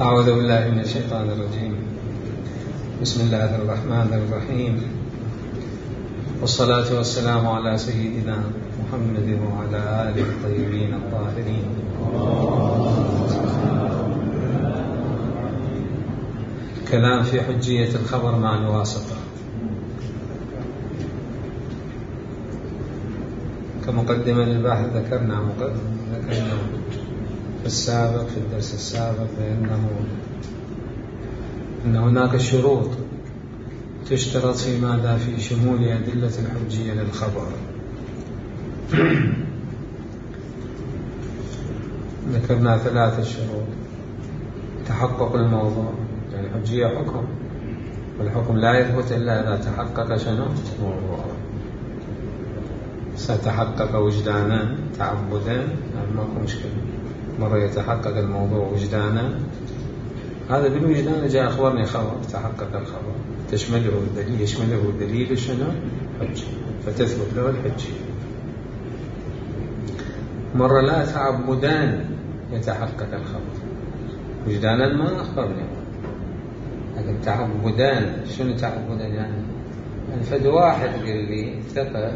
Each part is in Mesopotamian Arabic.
أعوذ بالله من الشيطان الرجيم. بسم الله الرحمن الرحيم، والصلاة والسلام على سيدنا محمد وعلى آله الطيبين الطاهرين. كلام في حجية الخبر مع الواسطة. كمقدمة للبحث ذكرنا في الدرس السابق أن هناك شروط تشترط في ماذا؟ في شمول أدلة الحجية للخبر. ذكرنا 3 شروط: تحقق الموضوع، يعني الحجية حكم، والحكم لا يثبت إلا إذا تحقق شنو؟ موضوع. ستحقق وجدانا تعبدا، يعني ماكو مشكلة. مرة يتحقق الموضوع وجدانا، هذا بالوجدان جاء أخبرني خبر، تحقق الخبر، يشمله الدليل شنو؟ حجة، فتثبت له الحجية. مرة لا تعبدان يتحقق الخبر، وجدانا ما أخبرني، لكن تعبدان. شنو تعبدان؟ يعني فد واحد قال لي ثقة،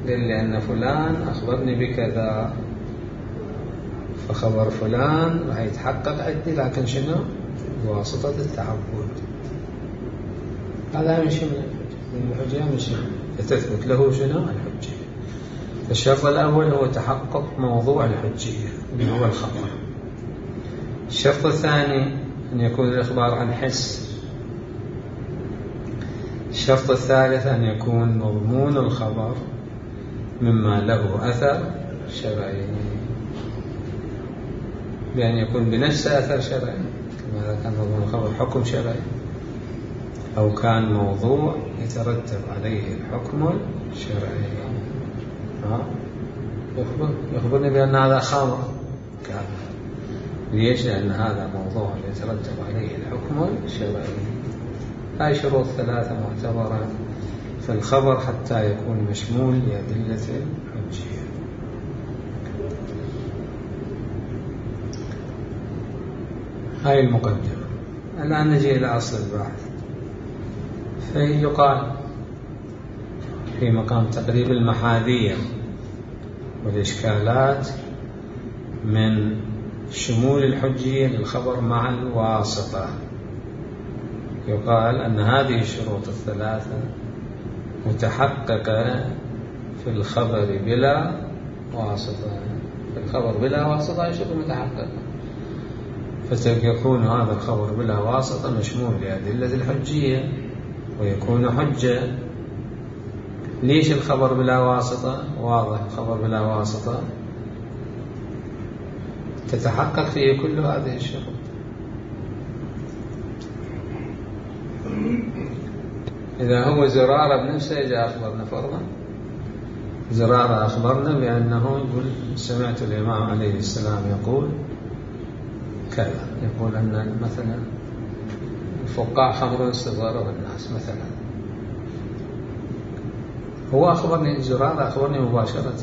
قال لي أن فلان أخبرني بكذا، فخبر فلان راح يتحقق عندي، لكن شنو؟ بواسطة التعبد. هذا من شمل الحجة، من شمل فتثبت له شنو؟ الحجة. الشرط الأول هو تحقق موضوع الحجية اللي هو الخبر. الشرط الثاني أن يكون الإخبار عن حس. الشرط الثالث أن يكون مضمون الخبر مما له أثر شرعي، بأن يكون بنفسه أثر شرعي، كما إذا كان مضمون الخبر حكم شرعي، أو كان موضوع يترتب عليه الحكم الشرعي. يخبرني بأن هذا خمر كامل. ليش؟ لأن هذا موضوع يترتب عليه الحكم الشرعي. هاي شروط 3 معتبرة في الخبر حتى يكون مشمول لأدلة الحجية. هاي المقدمة. الآن نجي إلى أصل البحث. فيقال في مقام تقريب المحاذير والإشكالات من شمول الحجية للخبر مع الواسطة، يقال أن هذه الشروط ال3 متحققة في الخبر بلا واسطة. في الخبر بلا واسطة يشبه متحققة، فيكون هذا الخبر بلا واسطة مشمول لأدلة الحجية ويكون حجة. ليش الخبر بلا واسطة؟ واضح، الخبر بلا واسطة تتحقق فيه كل هذه الشروط. إذا هو زرارة بنفسه جاء أخبرنا، فرضا زرارة أخبرنا بأنه يقول سمعت الإمام عليه السلام يقول كذا، يقول أن مثلا الفقاع خمر استضرار الناس مثلا. هو أخبرني، زرارة أخبرني مباشرة،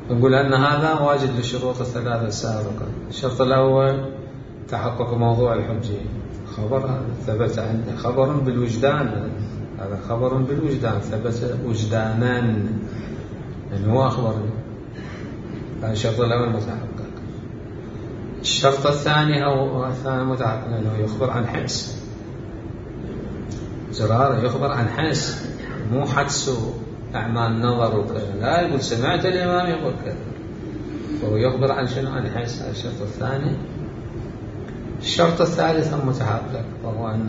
يقول أن هذا واجد للشروط ال3 السابقة. الشرط الأول تحقق موضوع الحجية، خبر ثبت عنده، خبر بالوجدان، هذا خبر بالوجدان ثبت وجدانا، يعني هو أخبرني. هذا الشرط الأول متحقق. الشرط الثاني أو الثاني متحقق أنه يخبر عن حس. زرارة يخبر عن حس، مو حدس أعمال نظر وكذا، لا يقول سمعت الإمام يقول كذا، فهو يخبر عن شنو؟ عن حس. الشرط الثاني. الشرط الثالث المتحقق وهو أن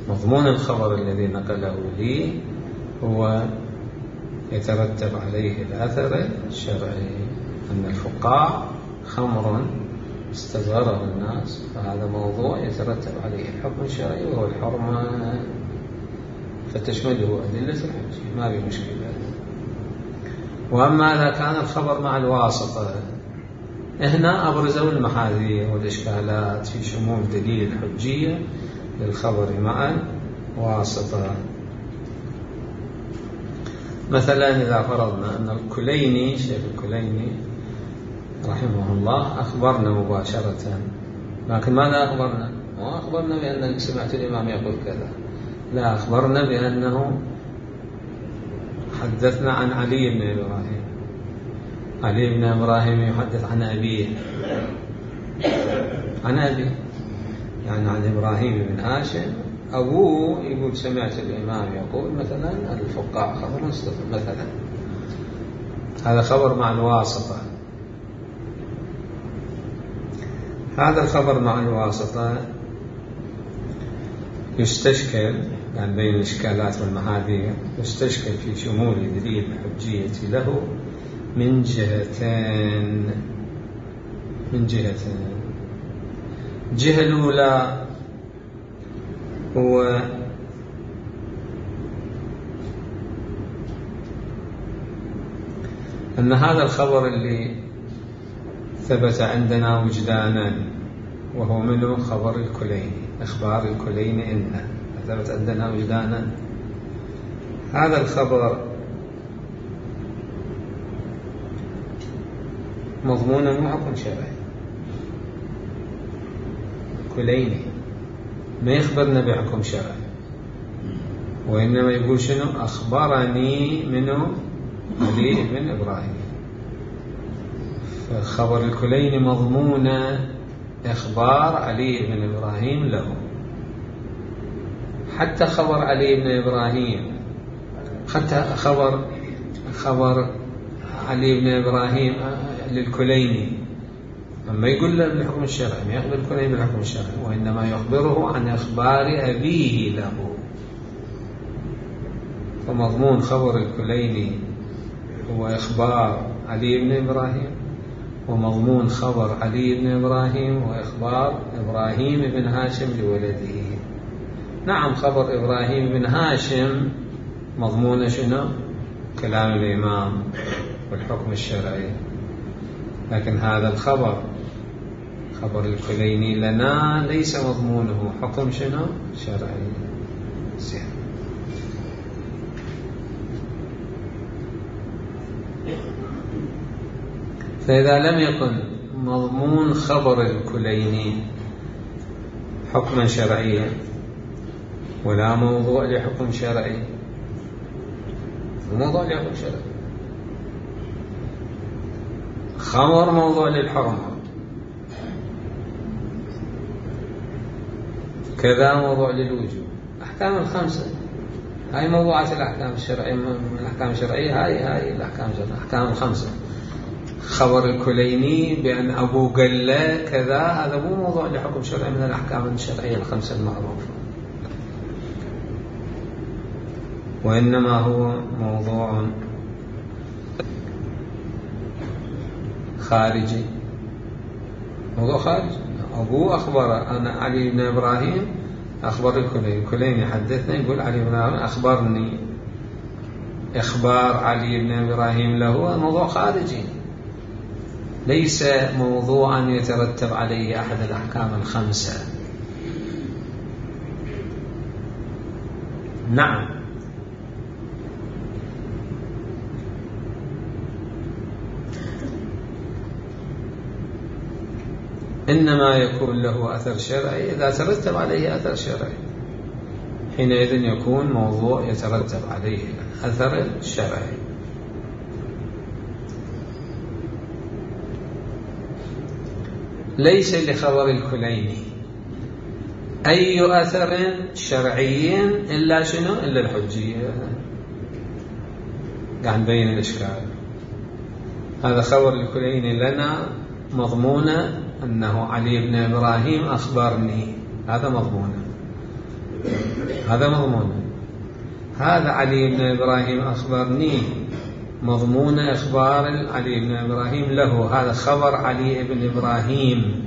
مضمون الخبر الذي نقله لي هو يترتب عليه الأثر الشرعي، أن الفقاع خمر استظهره الناس، فهذا موضوع يترتب عليه الحكم الشرعي وهو الحرمة، فتشمله أدلة الحجية، ما في مشكلة. وأما إذا كان الخبر مع الواسطة، هنا أبرزوا المحاذير والإشكالات في شمول دليل الحجية للخبر مع الواسطة. مثلا إذا فرضنا أن الكليني، شيخ الكليني رحمه الله أخبرنا مباشرة، لكن ماذا أخبرنا؟ ما أخبرنا بأن سمعت الإمام يقول كذا، لا، أخبرنا بأنه حدثنا عن علي بن إبراهيم. علي بن إبراهيم يحدث عن أبيه، عن أبيه يعني عن إبراهيم بن هاشم. أبوه يقول سمعت الإمام يقول مثلا الفقاع خبر مستفيد مثلا، هذا خبر مع الواسطة. هذا الخبر مع الواسطة يستشكل يعني بين الإشكالات والمحاذير، يستشكل في شمول دليل الحجية له من جهتين. الجهة الأولى هو أن هذا الخبر اللي ثبت عندنا وجدانا وهو منه خبر الكليني، إخبار الكليني إنه ثبت عندنا وجدانا، هذا الخبر مضمونه مو حكم شرعي. كليني ما يخبرنا بحكم شرعي، وإنما يقول شنو؟ أخبرني منه علي بن إبراهيم. فخبر الكليني مضمون إخبار علي بن إبراهيم له. حتى خبر علي بن إبراهيم، حتى خبر علي بن إبراهيم للكليني أما يقول له بالحكم الشرعي، ما يخبر الكليني بالحكم الشرعي، وإنما يخبره عن إخبار أبيه له. فمضمون خبر الكليني هو إخبار علي بن إبراهيم، ومضمون خبر علي بن إبراهيم وإخبار إبراهيم بن هاشم لولده. نعم، خبر إبراهيم بن هاشم مضمون شنو؟ كلام الإمام والحكم الشرعي، لكن هذا الخبر خبر الكليني لنا ليس مضمونه حكم شنو؟ شرعي. زين. فإذا لم يكن مضمون خبر الكليني حكما شرعيا ولا موضوع لحكم شرعي، موضوع لحكم شرعي، خمر موضوع للحرمة، كذا موضوع للوجوب. أحكام الخمسة هاي موضوعات الأحكام الشرعية، من الأحكام الشرعية هاي الأحكام الشرعية، أحكام الخمسة. خبر الكليني بأن أبو قال له كذا، هذا مو موضوع لحكم شرعي من الأحكام الشرعية الخمسة المعروفة، وإنما هو موضوع خارجي. موضوع خارجي. أبوه أخبر أنا علي بن إبراهيم، أخبر الكليني حدثنا، يقول علي بن إبراهيم أخبرني. إخبار علي بن إبراهيم له موضوع خارجي، ليس موضوعا يترتب عليه أحد الأحكام الخمسة. نعم. إنما يكون له أثر شرعي إذا ترتب عليه أثر شرعي، حينئذ يكون موضوع يترتب عليه أثر شرعي. ليس لخبر الكليني أي أثر شرعي إلا شنو؟ إلا الحجية. قاعد نبين الإشكال. هذا خبر الكليني لنا مضمونه أنه علي بن إبراهيم أخبرني، هذا مضمونه، هذا مضمونه. هذا علي بن إبراهيم أخبرني مضمون إخبار علي بن إبراهيم له. هذا خبر علي بن إبراهيم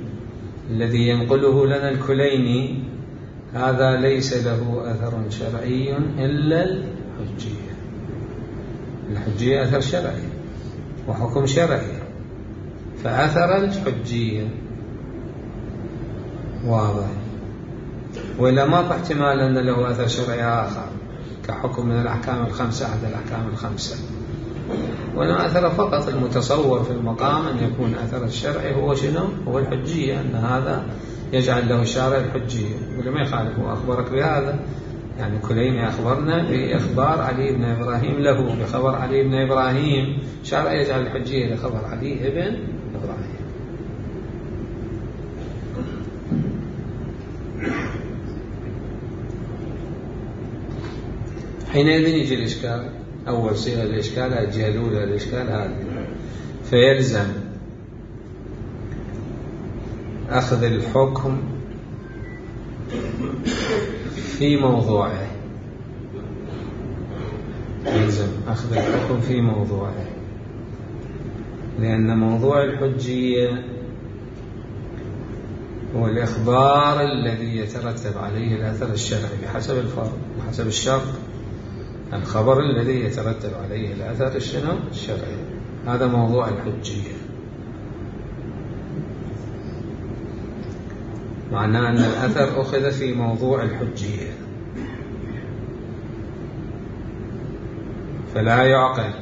الذي ينقله لنا الكليني، هذا ليس له أثر شرعي إلا الحجية. الحجية أثر شرعي وحكم شرعي، فأثر الحجية واضح، ولا ما في احتمال أن له أثر شرعي آخر كحكم من الأحكام الخمسة، أحد الأحكام الخمسة. وإنما أثر فقط المتصور في المقام أن يكون أثر الشرعي هو شنو؟ هو الحجية، أن هذا يجعل له الشارع الحجية. ولما يخالف هو أخبرك بهذا، يعني كليني أخبرنا بإخبار علي بن إبراهيم له بخبر علي بن إبراهيم، شارع يجعل الحجية لخبر علي بن إبراهيم. حينئذ يجي الإشكال، أول صيغة الإشكال الجهة الأولى الإشكال هذه، فيلزم أخذ الحكم في موضوعه، يلزم أخذ الحكم في موضوعه، لأن موضوع الحجية هو الإخبار الذي يترتب عليه الأثر الشرعي بحسب الفرض وحسب الشرط، الخبر الذي يترتب عليه الأثر الشرعي، هذا موضوع الحجية. معناه أن الأثر أخذ في موضوع الحجية، فلا يعقل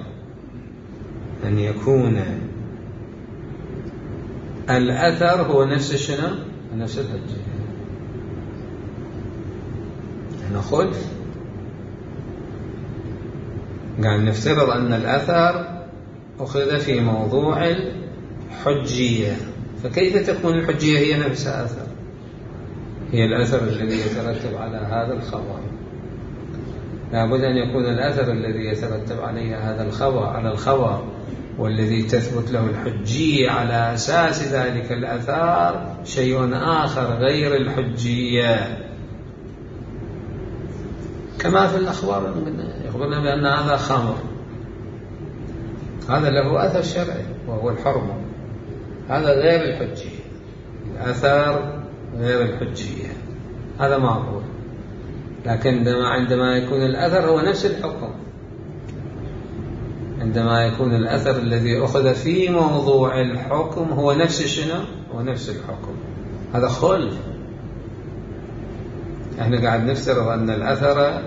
أن يكون الأثر هو نفس نفس الحجية. هنا خلف، قال نفترض أن الأثر أخذ في موضوع الحجية، فكيف تكون الحجية هي نفسها أثر؟ هي الأثر الذي يترتب على هذا الخبر، لابد أن يكون الأثر الذي يترتب عليه هذا الخبر على الخبر والذي تثبت له الحجية على أساس ذلك الأثر شيء آخر غير الحجية، كما في الأخبار يخبرنا بأن هذا خمر، هذا له أثر شرعي وهو الحرمة، هذا غير الحجية، الأثر غير الحجية، هذا معقول. لكن عندما يكون الأثر هو نفس الحكم، عندما يكون الأثر الذي أخذ في موضوع الحكم هو نفس هو نفس الحكم، هذا خلف. احنا قاعد نفترض أن الأثر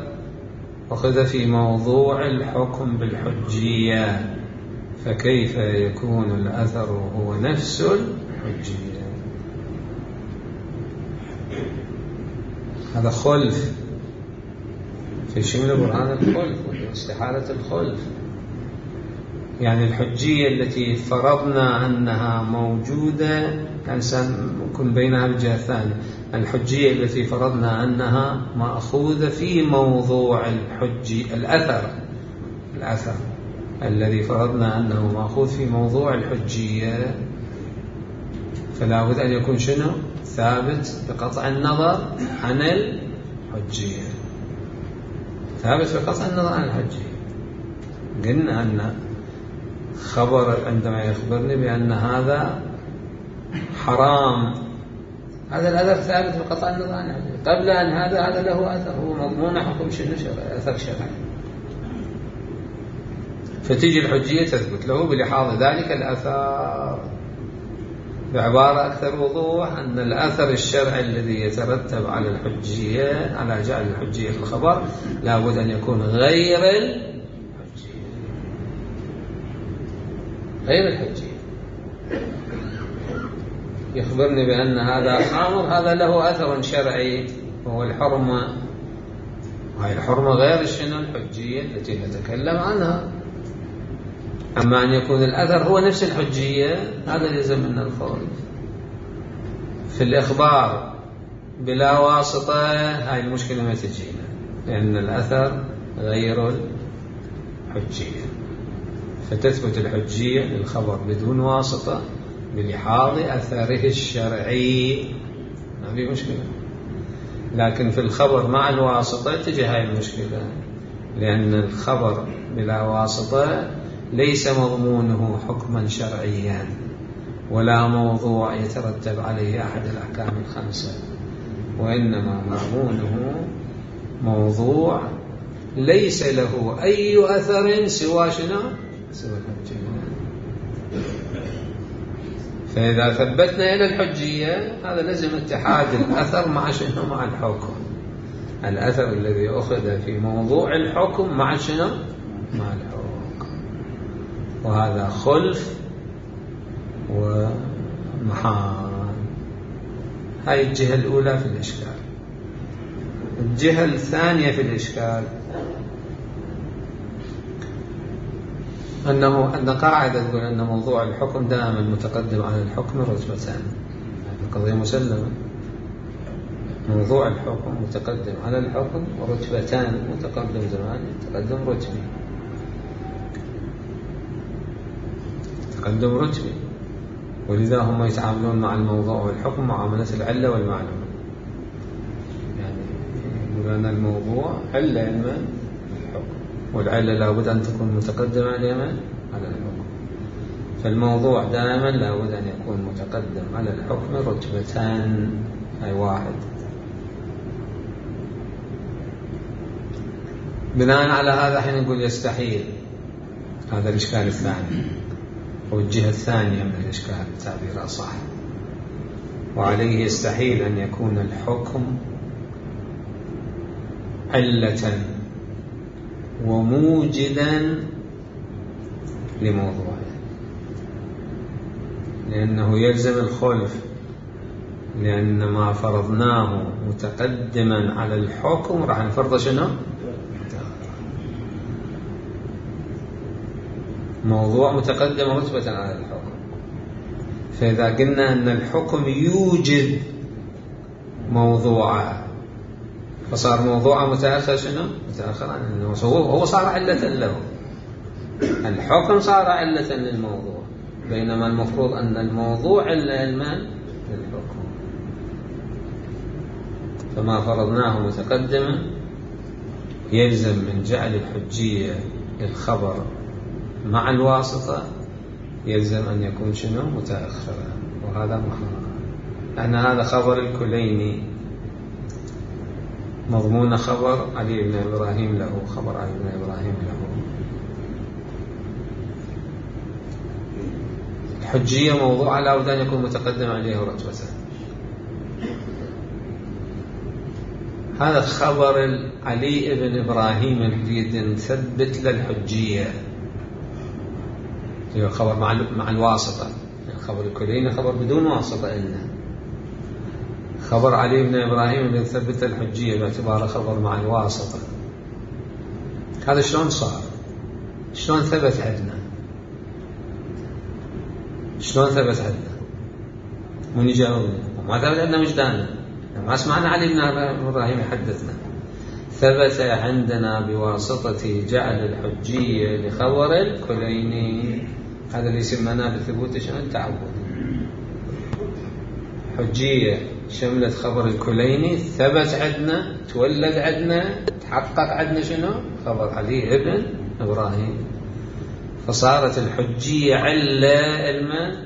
أخذ في موضوع الحكم بالحجية، فكيف يكون الأثر هو نفس الحجية؟ هذا خلف في شمل برهان الخلف واستحالة الخلف. يعني الحجية التي فرضنا أنها موجودة يكون بينها الجهة الثانية، الحجية التي فرضنا أنها مأخوذة في موضوع الأثر الذي فرضنا أنه مأخوذ في موضوع الحجية، فلا بد أن يكون ثابت بقطع النظر عن الحجية، ثابت بقطع النظر عن الحجية. قلنا أن خبر عندما يخبرني بأن هذا حرام، هذا الأثر ثابت بقطع النظر عن الحجية، قبل أن هذا له أثر، هو مضمون حكم شرعي، أثر شرعي، فتيجي الحجية تثبت له بلحاظ ذلك الأثر. بعبارة أكثر وضوح، أن الأثر الشرعي الذي يترتب على الحجية، على جعل الحجية في الخبر، لا بد أن يكون غير الحجية. يخبرني بأن هذا خمر، هذا له أثر شرعي وهو الحرمة، وهي الحرمة غير الحجية التي نتكلم عنها. أما أن يكون الأثر هو نفس الحجية، هذا يلزم من الفرض في الإخبار بلا واسطة. هاي المشكلة ما تجينا، لأن الأثر غير الحجية، فتثبت الحجية للخبر بدون واسطة بلحاظ أثره الشرعي، ما في مشكلة. لكن في الخبر مع الواسطة تجي هاي المشكلة، لأن الخبر بلا واسطة ليس مضمونه حكما شرعيا ولا موضوع يترتب عليه أحد الأحكام الخمسة، وإنما مضمونه موضوع ليس له أي أثر سوى الحجية. فإذا ثبتنا إلى الحجية، هذا لازم اتحاد الأثر مع مع الحكم، الأثر الذي أخذ في موضوع الحكم مع مع الحكم. وهذا خلف ومحال. هاي الجهة الأولى في الإشكال. الجهة الثانية في الإشكال أن قاعدة تقول أن موضوع الحكم دائما متقدم على الحكم رتبتان. هذه قضية مسلمة. موضوع الحكم متقدم على الحكم ورتبتان، متقدم زماني تقدم رتبي. تقدم رتبي، ولذا هم يتعاملون مع الموضوع والحكم معاملة العلة والمعلومة. يعني يقول أن الموضوع علة علما الحكم، والعلة لابد أن تكون متقدمة على الحكم. فالموضوع دائما لابد أن يكون متقدم على الحكم رتبتان، أي واحد. بناء على هذا حين نقول يستحيل. هذا الإشكال الثاني، والجهة الثانية من الإشكال تعبيرها صح. وعليه يستحيل أن يكون الحكم علة وموجدا لموضوعه، لأنه يلزم الخلف، لأن ما فرضناه متقدما على الحكم راح نفرضه شنو؟ موضوع متقدم رتبة على الحكم. فإذا قلنا أن الحكم يوجد موضوعه، فصار موضوعه متأخر شنو؟ متأخر عنه. هو صار علة له. الحكم صار علة للموضوع، بينما المفروض أن الموضوع علما للحكم. فما فرضناه متقدما يلزم من جعل الحجية للخبر مع الواسطة يلزم أن يكون شنو؟ متأخرا. وهذا محرم، لأن هذا خبر الكليني مضمون خبر علي بن إبراهيم له، خبر علي بن إبراهيم له. الحجية موضوع لا بد أن يكون متقدم عليه رتبة. هذا خبر علي بن إبراهيم نريد نثبت للحجية، هو خبر مع الواسطة. الخبر الكليني خبر بدون واسطة. إنه خبر علي بن إبراهيم اللي نثبت الحجية باعتباره خبر مع الواسطة. هذا شلون صار؟ شلون ثبت عندنا؟ شلون ثبت عندنا؟ من يجاوبنا؟ وما ثبت عندنا وجداننا، ما سمعنا علي بن إبراهيم يحدثنا. ثبت عندنا بواسطة جعل الحجية لخبر الكليني. هذا اللي يسمونه بثبوت شنو؟ التعبد. حجية شملت خبر الكليني، ثبت عندنا، تولد عندنا، تحقق عندنا شنو؟ خبر علي بن إبراهيم. فصارت الحجية علة الماء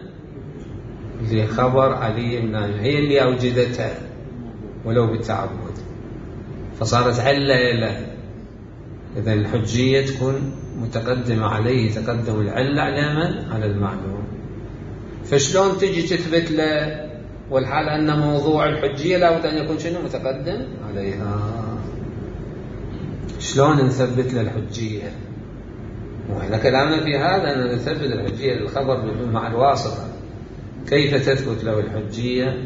لخبر علي بن إبراهيم، هي اللي أوجدتها ولو بالتعبد. فصارت علة له. إذا الحجية تكون متقدمة عليه تقدم العلة على من؟ على المعلوم. فشلون تجي تثبت له والحال أن موضوع الحجية لابد أن يكون شنو؟ متقدم عليها. شلون نثبت له الحجية؟ وإحنا كلامنا في هذا أن نثبت الحجية للخبر مع الواسطة. كيف تثبت له الحجية؟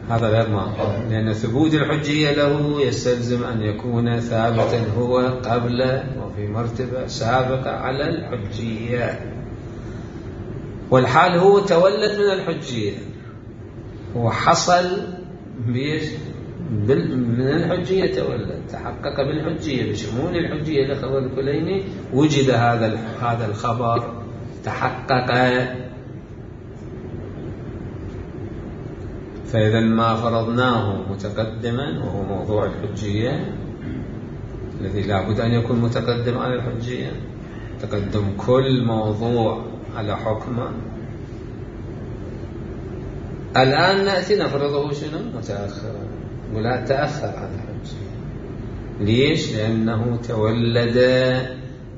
هذا غير معقول، لأن ثبوت الحجية له يستلزم أن يكون ثابتا هو قبل وفي مرتبة سابقة على الحجية، والحال هو تولد من الحجية وحصل من الحجية، تولد تحقق بالحجية بشمول الحجية لخبر الكليني. وجد هذا الخبر تحقق. فإذا ما فرضناه متقدما وهو موضوع الحجية الذي لا بد أن يكون متقدم على الحجية، تقدم كل موضوع على حكمه. الآن نأتي نفرضه شنو؟ متأخرا، ولا تأخر عن الحجية. ليش؟ لأنه تولد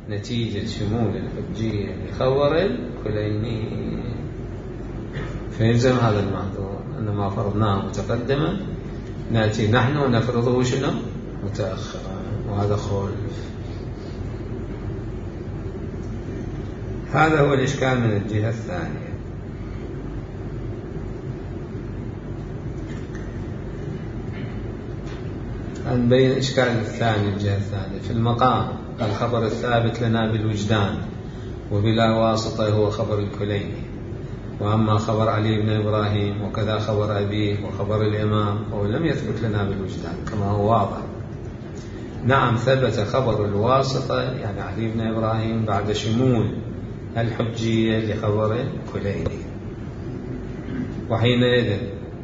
نتيجة شمول الحجية لخبر الكليني. فيلزم هذا المعذور أن ما فرضناه متقدما نأتي نحن ونفرضه شنو؟ متأخرا، وهذا خلف. هذا هو الإشكال من الجهة الثانية. نبين الإشكال الثاني الجهة الثانية. في المقام الخبر الثابت لنا بالوجدان وبلا واسطة هو خبر الكليني، وأما خبر علي بن إبراهيم وكذا خبر أبيه وخبر الإمام هو لم يثبت لنا بالوجدان كما هو واضح. نعم ثبت خبر الواسطة يعني علي بن إبراهيم بعد شمول الحجية لخبر الكليني، وحينئذ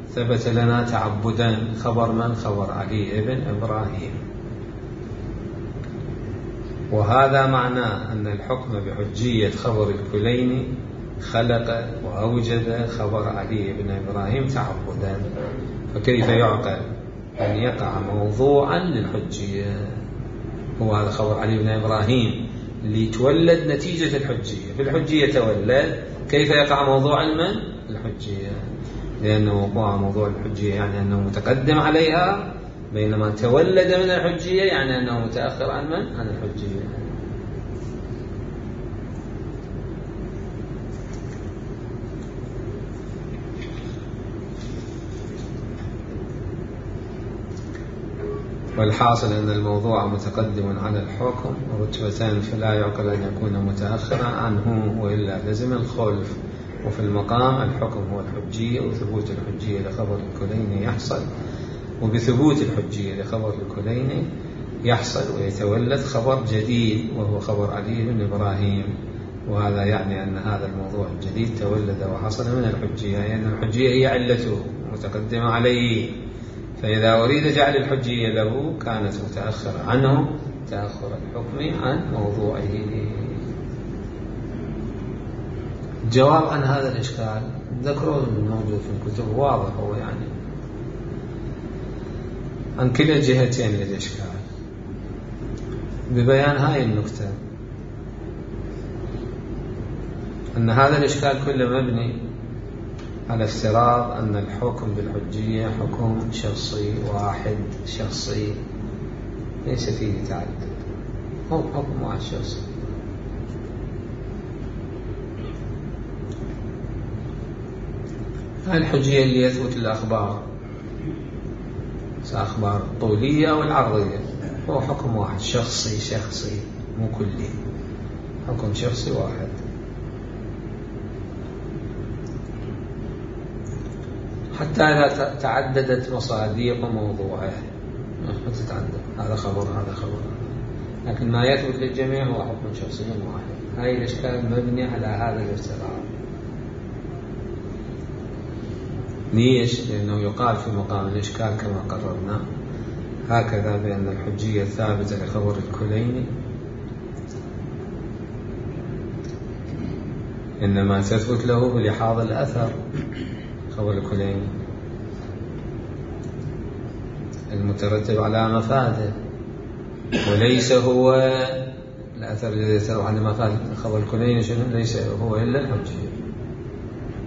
ثبت لنا تعبدا خبر من؟ خبر علي بن إبراهيم. وهذا معناه أن الحكم بحجية خبر الكليني خلق وأوجد خبر علي بن إبراهيم تعبدا، فكيف يعقل أن يقع موضوعا للحجية؟ هو هذا خبر علي بن إبراهيم اللي تولد نتيجة الحجية، في الحجية تولد، كيف يقع موضوعا من؟ الحجية، لأنه وقوع موضوع الحجية يعني أنه متقدم عليها، بينما تولد من الحجية يعني أنه متأخر عن من؟ عن الحجية. والحاصل أن الموضوع متقدم على الحكم رتبتان، فلا يعقل أن يكون متأخرا عنه وإلا لزم الخلف. وفي المقام الحكم هو الحجية، وثبوت الحجية لخبر الكليني يحصل، وبثبوت الحجية لخبر الكليني يحصل ويتولد خبر جديد وهو خبر علي بن إبراهيم. وهذا يعني أن هذا الموضوع الجديد تولد وحصل من الحجية، لأن يعني الحجية هي علته متقدمة عليه، فإذا أريد جعل الحجية له كانت متأخرة عنه تأخر الحكم عن موضوعه. جواب عن هذا الإشكال ذكره الموجود في الكتب واضح، هو يعني عن كلا الجهتين للإشكال ببيان هاي النكتة، أن هذا الإشكال كله مبني على افتراض أن الحكم بالحجية حكم شخصي واحد شخصي ليس فيه تعدد، هو حكم واحد شخصي. هاي الحجية اللي يثبت الأخبار، أخبار طولية أو العرضية، هو حكم واحد شخصي مو كلي، حكم شخصي واحد. حتى إذا تعددت مصادق موضوعه ما تتعدد، هذا خبر هذا خبر، لكن ما يثبت للجميع هو حكم شخصي واحد. هاي الإشكال مبني على هذا الافتراض. ليش؟ لأنه يقال في مقام الإشكال كما قررنا هكذا بأن الحجية الثابتة لخبر الكليني إنما تثبت له بلحاظ الأثر، خبر الكليني المترتب على مفاده، وليس هو الأثر الذي يترتب على مفاده. خبر الكليني ليس هو إلا الحجية،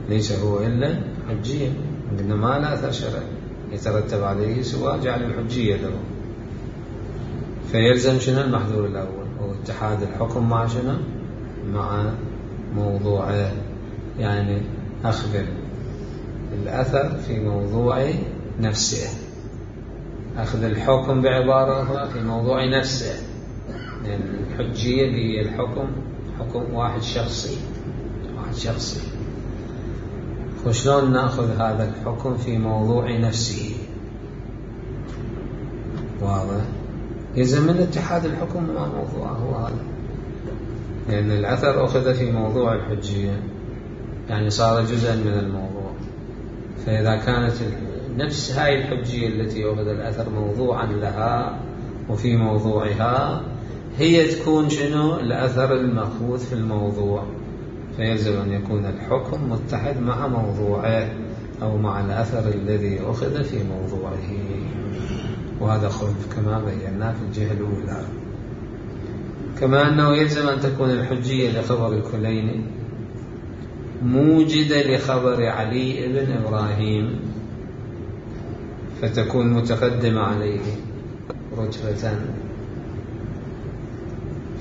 ليس هو إلا الحجية، إنما لا أثر شرعي يترتب عليه سوى جعل الحجية له. فيلزم شنو المحذور الأول؟ هو اتحاد الحكم مع شنو؟ مع موضوعه، يعني أخبر الأثر في موضوع نفسه، أخذ الحكم بعبارة في موضوع نفسه، يعني الحجية هي الحكم حكم واحد شخصي. وشلون نأخذ هذا الحكم في موضوع نفسه؟ واضح؟ يلزم من اتحاد الحكم مع موضوعه هذا، لأن الأثر أخذ في موضوع الحجية يعني صار جزءا من الموضوع. فإذا كانت نفس هاي الحجية التي أخذ الأثر موضوعا لها وفي موضوعها هي تكون شنو؟ الأثر المأخوذ في الموضوع، فيلزم أن يكون الحكم متحد مع موضوعه أو مع الأثر الذي أخذ في موضوعه. وهذا خلف كما بينا في الجهة الأولى. كما أنه يلزم أن تكون الحجية لخبر الكليني موجدة لخبر علي بن إبراهيم، فتكون متقدمة عليه رتبة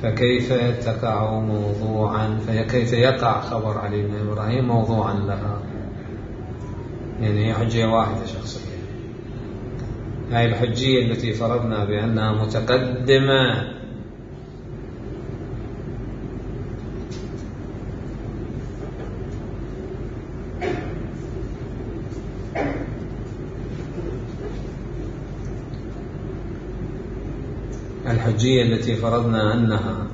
فكيف تقع موضوعا، فكيف يقع خبر علي بن إبراهيم موضوعا لها؟ يعني هي حجية واحدة شخصية. هاي الحجية التي فرضنا بأنها متقدمة الحجية التي فرضنا أنها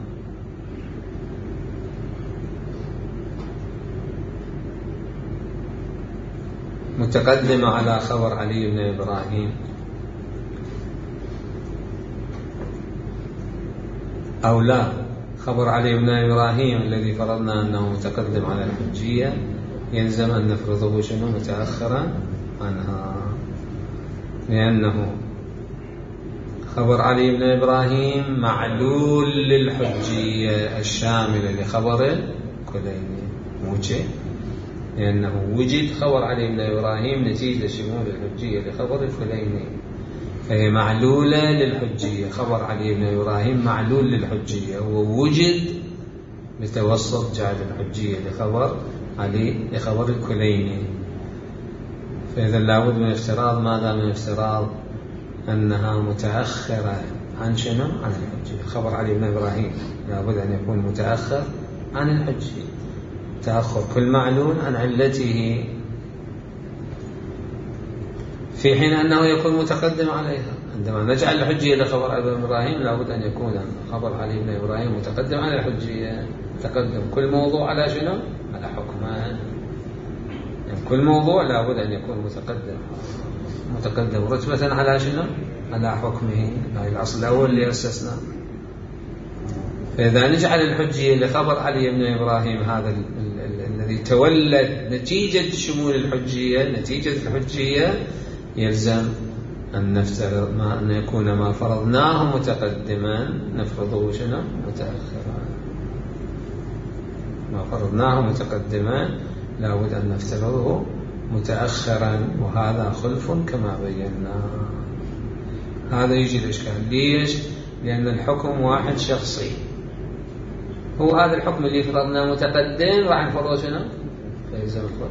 متقدمة على خبر علي بن إبراهيم أو لا، خبر علي بن إبراهيم الذي فرضنا أنه متقدم على الحجية يلزم أن نفرضه شنو؟ متأخرا عنها، لأنه خبر علي بن إبراهيم معلول للحجية الشاملة لخبر الكليني، موجه، لأنه وجد خبر علي بن إبراهيم نتيجة شمول الحجية لخبر الكليني، فهي معلولة للحجية. خبر علي بن إبراهيم معلول للحجية، ووجد بتوسط جعل الحجية لخبر علي لخبر الكليني. فإذا لابد من افتراض ماذا؟ من افتراض أنها متأخرة عن شنو؟ عن الحجية. خبر علي بن إبراهيم لابد أن يكون متأخر عن الحجية، تأخر كل معلول عن علته، في حين أنه يكون متقدم عليها. عندما نجعل الحجية لخبر علي بن إبراهيم لابد أن يكون خبر علي بن إبراهيم متقدم على الحجية، تقدم كل موضوع على شنو؟ على حكمه. يعني كل موضوع لابد أن يكون متقدم رتبة على شنو؟ على حكمه. هذا الأصل الأول اللي أسسناه. فإذا نجعل الحجية لخبر علي بن إبراهيم هذا الذي تولد نتيجة شمول الحجية، نتيجة الحجية، يلزم أن نفترض أن يكون ما فرضناه متقدما نفرضه شنو؟ متأخرا. ما فرضناه متقدما لابد أن نفترضه متأخرا، وهذا خلف كما بينا. هذا يجي الإشكال. ليش؟ لأن الحكم واحد شخصي، هو هذا الحكم اللي فرضناه متقدم راح نفرضه شنو؟ فيلزم الفرض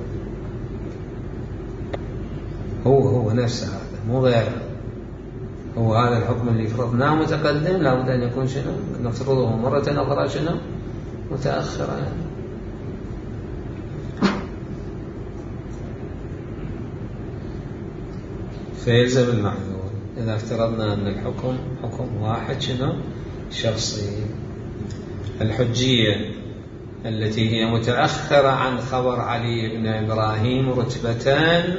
هو نفسه، هذا مو غيره. هو هذا الحكم اللي فرضناه متقدم لابد أن يكون شنو؟ نفترضه مرة أخرى شنو؟ متأخرا. فيلزم المعلول. إذا افترضنا أن الحكم حكم واحد شنو؟ شخصي. الحجية التي هي متأخرة عن خبر علي بن إبراهيم رتبتان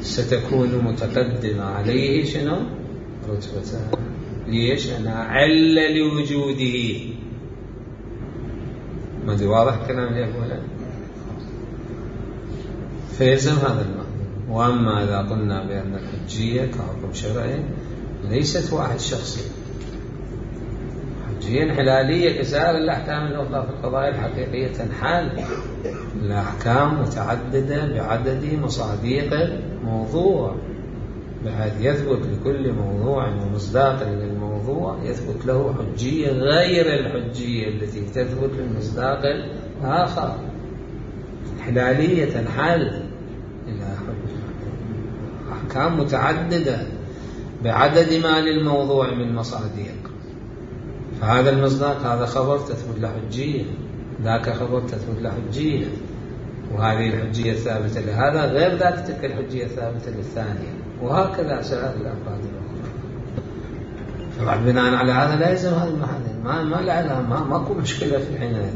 ستكون متقدمة عليه شنو؟ رتبتان. ليش؟ أنا علة لوجوده. ما دي واضح الكلام اللي أقوله؟ فيلزم هذا المعنى. وأما إذا قلنا بأن الحجية كحكم شرعي ليست واحد شخصي، حجية انحلالية كسائر الأحكام الأخرى في القضايا الحقيقية، تنحل الأحكام متعددة بعدد مصادق الموضوع، بحيث يثبت لكل موضوع ومصداق للموضوع يثبت له حجية غير الحجية التي تثبت للمصداق الآخر. انحلالية تنحل إلى أحكام متعددة بعدد ما للموضوع من مصادق، فهذا المصداق هذا خبر تثبت له حجية، ذاك خبر تثبت له حجية، وهذه الحجية الثابتة لهذا غير ذاك تلك الحجية الثابتة للثانية، وهكذا سائر الأفراد الأخرى. طبعا بناء على هذا لا يلزم هذا المحل، ما لها ماكو مشكلة في حينئذ،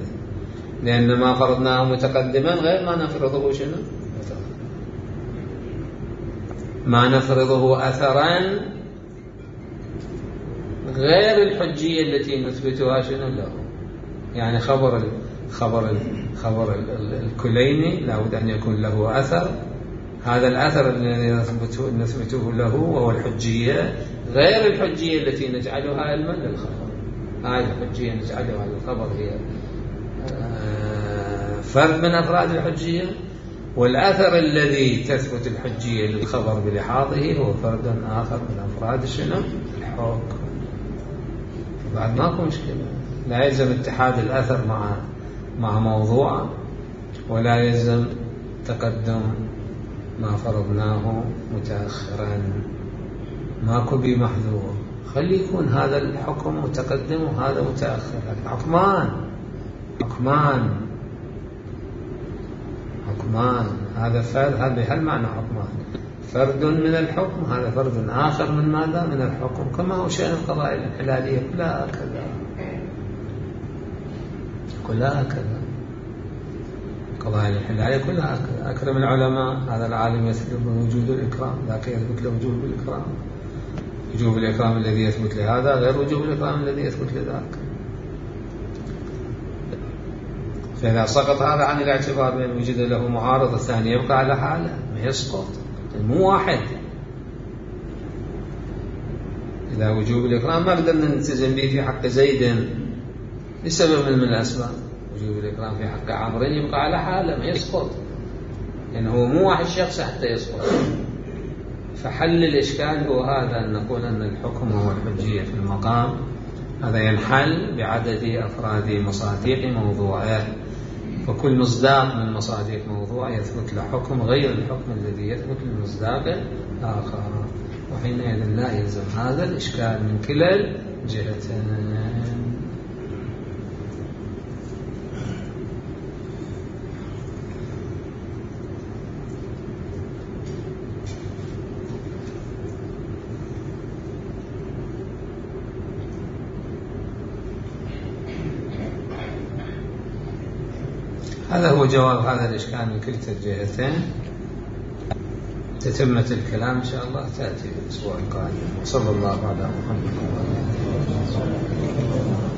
لأن ما فرضناه متقدما غير ما نفرضه شنو؟ ما نفرضه أثرا غير الحجية التي نثبتها شنو له. يعني خبر الكليني لابد أن يكون له أثر، هذا الأثر الذي نثبته له وهو الحجية غير الحجية التي نجعلها علما للخبر. هذه الحجية نجعلها للخبر هي فرد من أفراد الحجية، والأثر الذي تثبت الحجية للخبر بلحاظه هو فرد آخر من أفراد شنو؟ الحكم. بعد ماكو مشكلة. لا يلزم اتحاد الأثر مع موضوع، ولا يلزم تقدم ما فرضناه متأخرا. ماكو بي محذور، خلي يكون هذا الحكم متقدم وهذا متأخر. حكمان هذا فرد، هذا هالمعنى حكمان، فرد من الحكم، هذا فرد آخر من ماذا؟ من الحكم. كما هو شأن القضايا الانحلالية كلها هكذا. القضايا الانحلالية كلها هكذا. أكرم العلماء، هذا العالم يثبت وجود الإكرام، ذاك يثبت له وجوب الإكرام. وجوب الإكرام الذي يثبت لهذا غير وجوب الإكرام الذي يثبت لذاك. فإذا سقط هذا عن الاعتبار بأن وجد له معارض، الثاني يبقى على حاله، ما يسقط، مو واحد. إذا وجوب الإكرام ما قدرنا نلتزم به في حق زيد لسبب من الأسباب، وجوب الإكرام في حق عمرو يبقى على حاله، ما يسقط، لأنه هو مو واحد شخص حتى يسقط. فحل الإشكال هو هذا، أن نقول أن الحكم هو الحجية في المقام، هذا ينحل بعدد أفراد مصادق موضوعه، فكل مصداق من مصادق موضوع يثبت له حكم غير الحكم الذي يثبت للمصداق الآخر، وحينئذ لا يلزم هذا الإشكال من كلا الجهتين. هذا هو جواب هذا الإشكال من كلتا الجهتين. تتمة الكلام إن شاء الله تأتي الأسبوع القادم. صلى الله على محمد وعلى آله وصحبه.